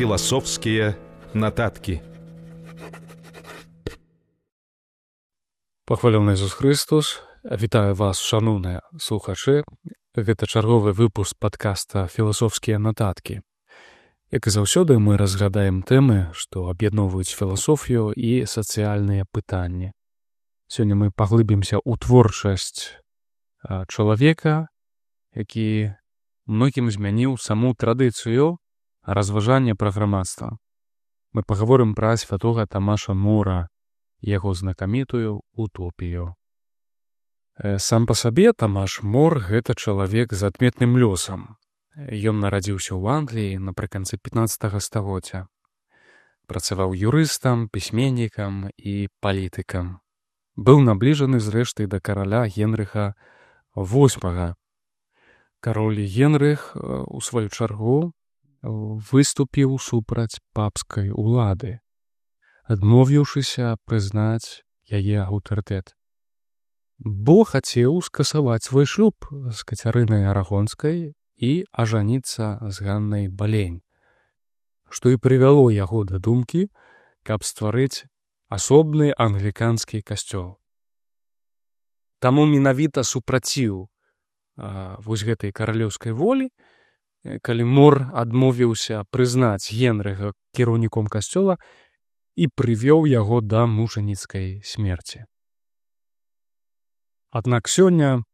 Філасофскія нататкі. Пахвалены Ісус Христос, вітаю вас, шановныя слухачы. Гэта чарговы выпуск падкаста «Філасофскія нататкі». Як і заўсёды, мы разглядаем тэмы, што аб'ядноўваюць філасофію і сацыяльныя пытанні. Сёння мы паглыбімся ў творчасць чалавека, які многім змяніў саму традыцыю разважання пра грамадства. Мы пагаворым пра святога Тамаша Мора і яго знакамітую утопію. Сам па сабе Тамаш Мор — гэта чалавек з адметным лёсам. Ён нарадзіўся ў Англіі напрыканцы 15 стагоддзя. Працаваў юрыстам, пісьменнікам і палітыкам. Быў набліжаны зрэшты да караля Генрыха VIII. Кароль Генрых, у сваю чаргу, выступіў супраць папскай улады, адмовіўшыся прызнаць яе аўтарытэт. Бо хацеў скасаваць свой шлюб з Кацярынай Арагонскай і ажаніцца з Ганнай Балейн, што і прывяло яго да думкі, каб стварыць асобны англіканскі касцёл. Таму менавіта супраціў вось гэтай каралеўскай волі, калі Мор адмовіўся прызнаць Генрыха кіраўніком касцёла і прывёў яго да мучаніцкай смерці. Аднак сёння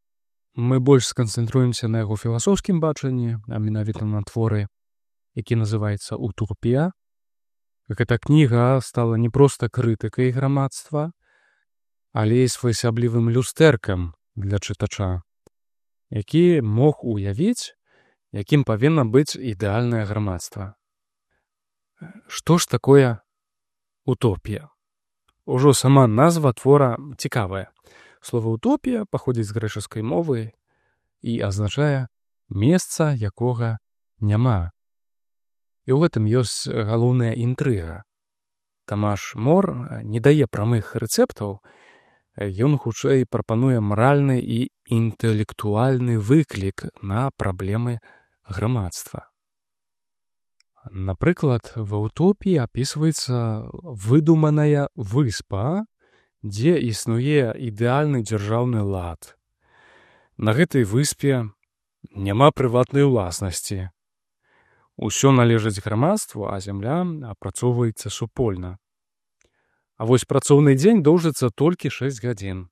мы больш сканцэнтруемся на яго філасофскім бачанні, а менавіта на творы, які называецца «Утопія». Гэта кніга стала не проста крытыкай грамадства, але і своеасаблівым люстэркам для чытача, які мог уявіць, якім павінна быць ідэальнае грамадства. Што ж такое утопія? Ужо сама назва твора цікавая. Слова «утопія» паходзіць з грэчаскай мовы і азначае «месца, якога няма». І ў гэтым ёсць галоўная інтрыга. Тамаш Мор не дае прамых рэцэптаў, ён хутчэй прапануе маральны і інтэлектуальны выклік на праблемы грамадства. Напрыклад, ва «Утопіі» апісваецца выдуманая выспа, дзе існуе ідэальны дзяржаўны лад. На гэтай выспе няма прыватнай уласнасці. Усё належыць грамадству, а зямля апрацоўваецца супольна. А вось працоўны дзень доўжыцца толькі 6 гадзін,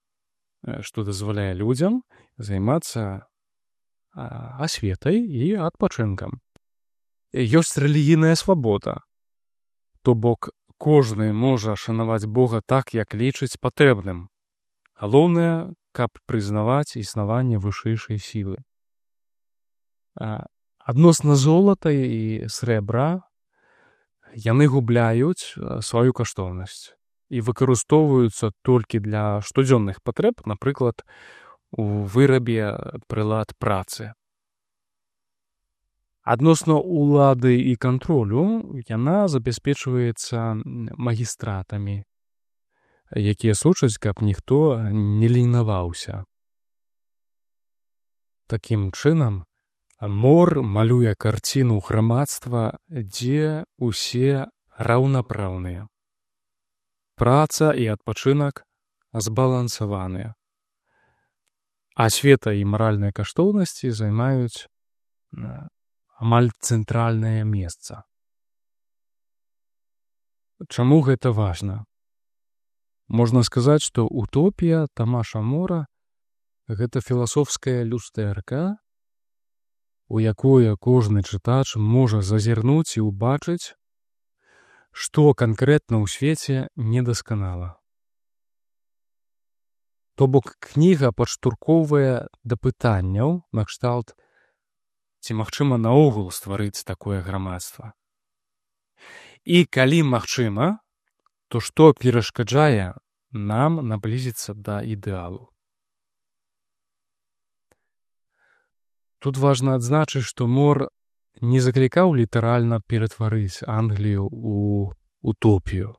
што дазваляе людзям займацца асветай і адпачынкам. Ёсць рэлігійная свабода, то бок кожны можа шанаваць Бога так, як лічыць патрэбным. Галоўнае, каб прызнаваць існаванне вышэйшай сілы. Адносна золата і срэбра яны губляюць сваю каштоўнасць і выкарыстоўваюцца толькі для штодзённых патрэб, напрыклад, у вырабе прылад працы. Адносна ўлады і кантролю яна забяспечваецца магістратамі, якія сочаць, каб ніхто не лінаваўся. Такім чынам, Мор малюе карціну грамадства, дзе ўсе раўнапраўныя. Праца і адпачынак збалансаваныя. Асвета і маральныя каштоўнасці займаюць амаль цэнтральнае месца. Чаму гэта важна? Можна сказаць, што «Утопія» Тамаша Мора — гэта філасофская люстэрка, у якое кожны чытач можа зазірнуць і ўбачыць, што канкрэтна ў свеце недасканала. То бок кніга падштурхоўвае да пытанняў накшталт, ці магчыма наогул стварыць такое грамадства. І калі магчыма, то што перашкаджае нам наблізіцца да ідэалу? Тут важна адзначыць, што Мор не заклікаў літаральна ператварыць Англію ў утопію.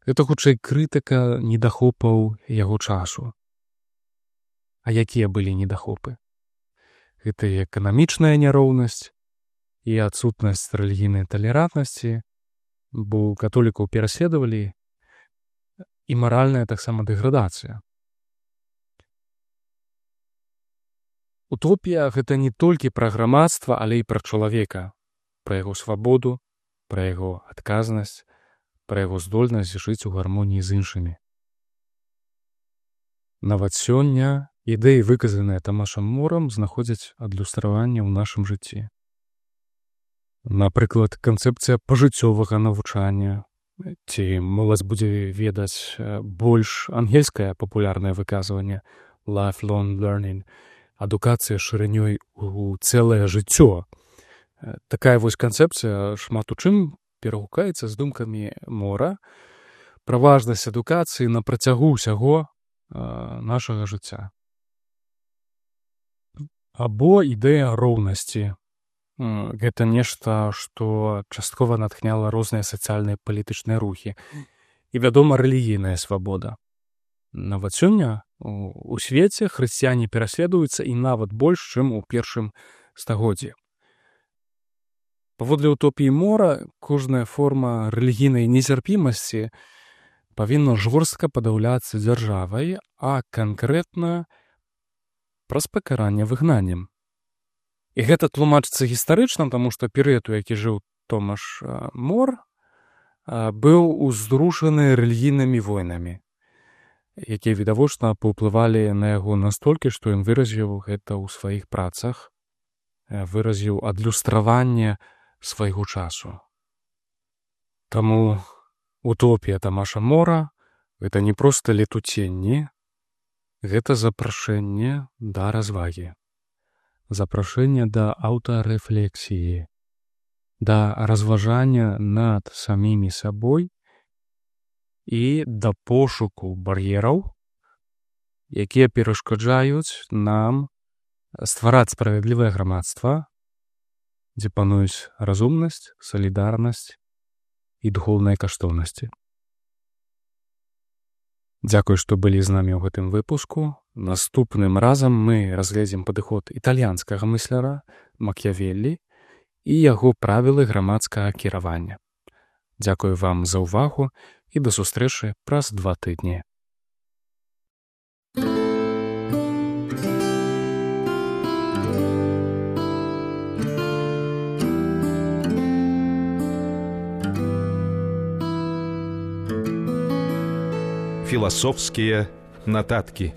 Гэта хутчэй крытыка недахопаў яго часу. А якія былі недахопы? Гэта і эканамічная няроўнасць, і адсутнасць рэлігійнай талерантнасці, бо католікаў пераследавалі, і маральная таксама дэградацыя. Утопія — гэта не толькі пра грамадства, але і пра чалавека, пра яго свабоду, пра яго адказнасць, пра яго здольнасць жыць у гармоніі з іншымі. Нават сёння ідэі, выказаныя Тамашам Морам, знаходзяць адлюстраванне ў нашым жыцці. Напрыклад, канцэпцыя пажыццёвага навучання, ці моладзь будзе ведаць больш ангельскае папулярнае выказванне lifelong learning, адукацыя шырынёй у цэлае жыццё. Такая вось канцэпцыя шмат у чым перагукаецца з думкамі Мора пра важнасць адукацыі на працягу ўсяго нашага жыцця. Або ідэя роўнасці. Гэта нешта, што часткова натхняла розныя сацыяльныя палітычныя рухі. І, вядома, рэлігійная свабода. Нават сёння у свеце хрысціяне пераследуюцца і нават больш, чым у першым стагоддзі. Паводле утопіі Мора, кожная форма рэлігійнай нецярпімасці павінна жорстка падаўляцца дзяржавай, а канкрэтна праз пакаранне выгнаннем. І гэта тлумачыцца гістарычна, таму што перыяд, у які жыў Томаш Мор, быў узрушаны рэлігійнымі войнамі, якія відавочна паўплывалі на яго настолькі, што ён выразіў гэта ў сваіх працах, выразіў адлюстраванне свайго часу. Таму утопія Тамаша Мора — гэта не проста летуценні, гэта запрашэнне да развагі, запрашэнне да аўтарэфлексіі, да разважання над самімі сабой і да пошуку бар'ераў, якія перашкаджаюць нам ствараць справядлівае грамадства, дзе пануюць разумнасць, салідарнасць і духоўныя каштоўнасці. Дзякуй, што былі з намі ў гэтым выпуску. Наступным разам мы разгледзім падыход італьянскага мысляра Макіявеллі і яго правілы грамадскага кіравання. Дзякую вам за ўвагу і да сустрэчы праз 2 тыдні. Философские нотатки.